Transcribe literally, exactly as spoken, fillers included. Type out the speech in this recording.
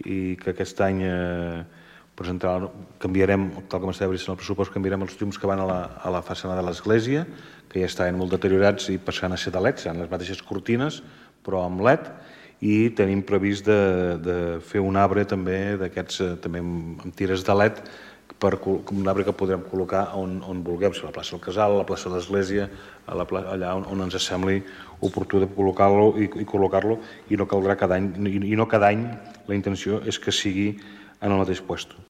i que aquest any canviarem, tal com estava vist en el pressupost, canviarem els llums que van a la façana de l'església, que ja estaven molt deteriorats i passaran a ser de L E D, seran les mateixes cortines, però amb L E D, i tenim previst de fer un arbre també d'aquests, també amb tires de L E D, un arbre que podrem col·locar on vulguem, a la plaça del Casal, a la plaça de l'església, allà on ens sembli oportú de col·locar-lo i col·locar-lo, i no caldrà cada any, i no cada any la intenció és que sigui en el mateix lloc.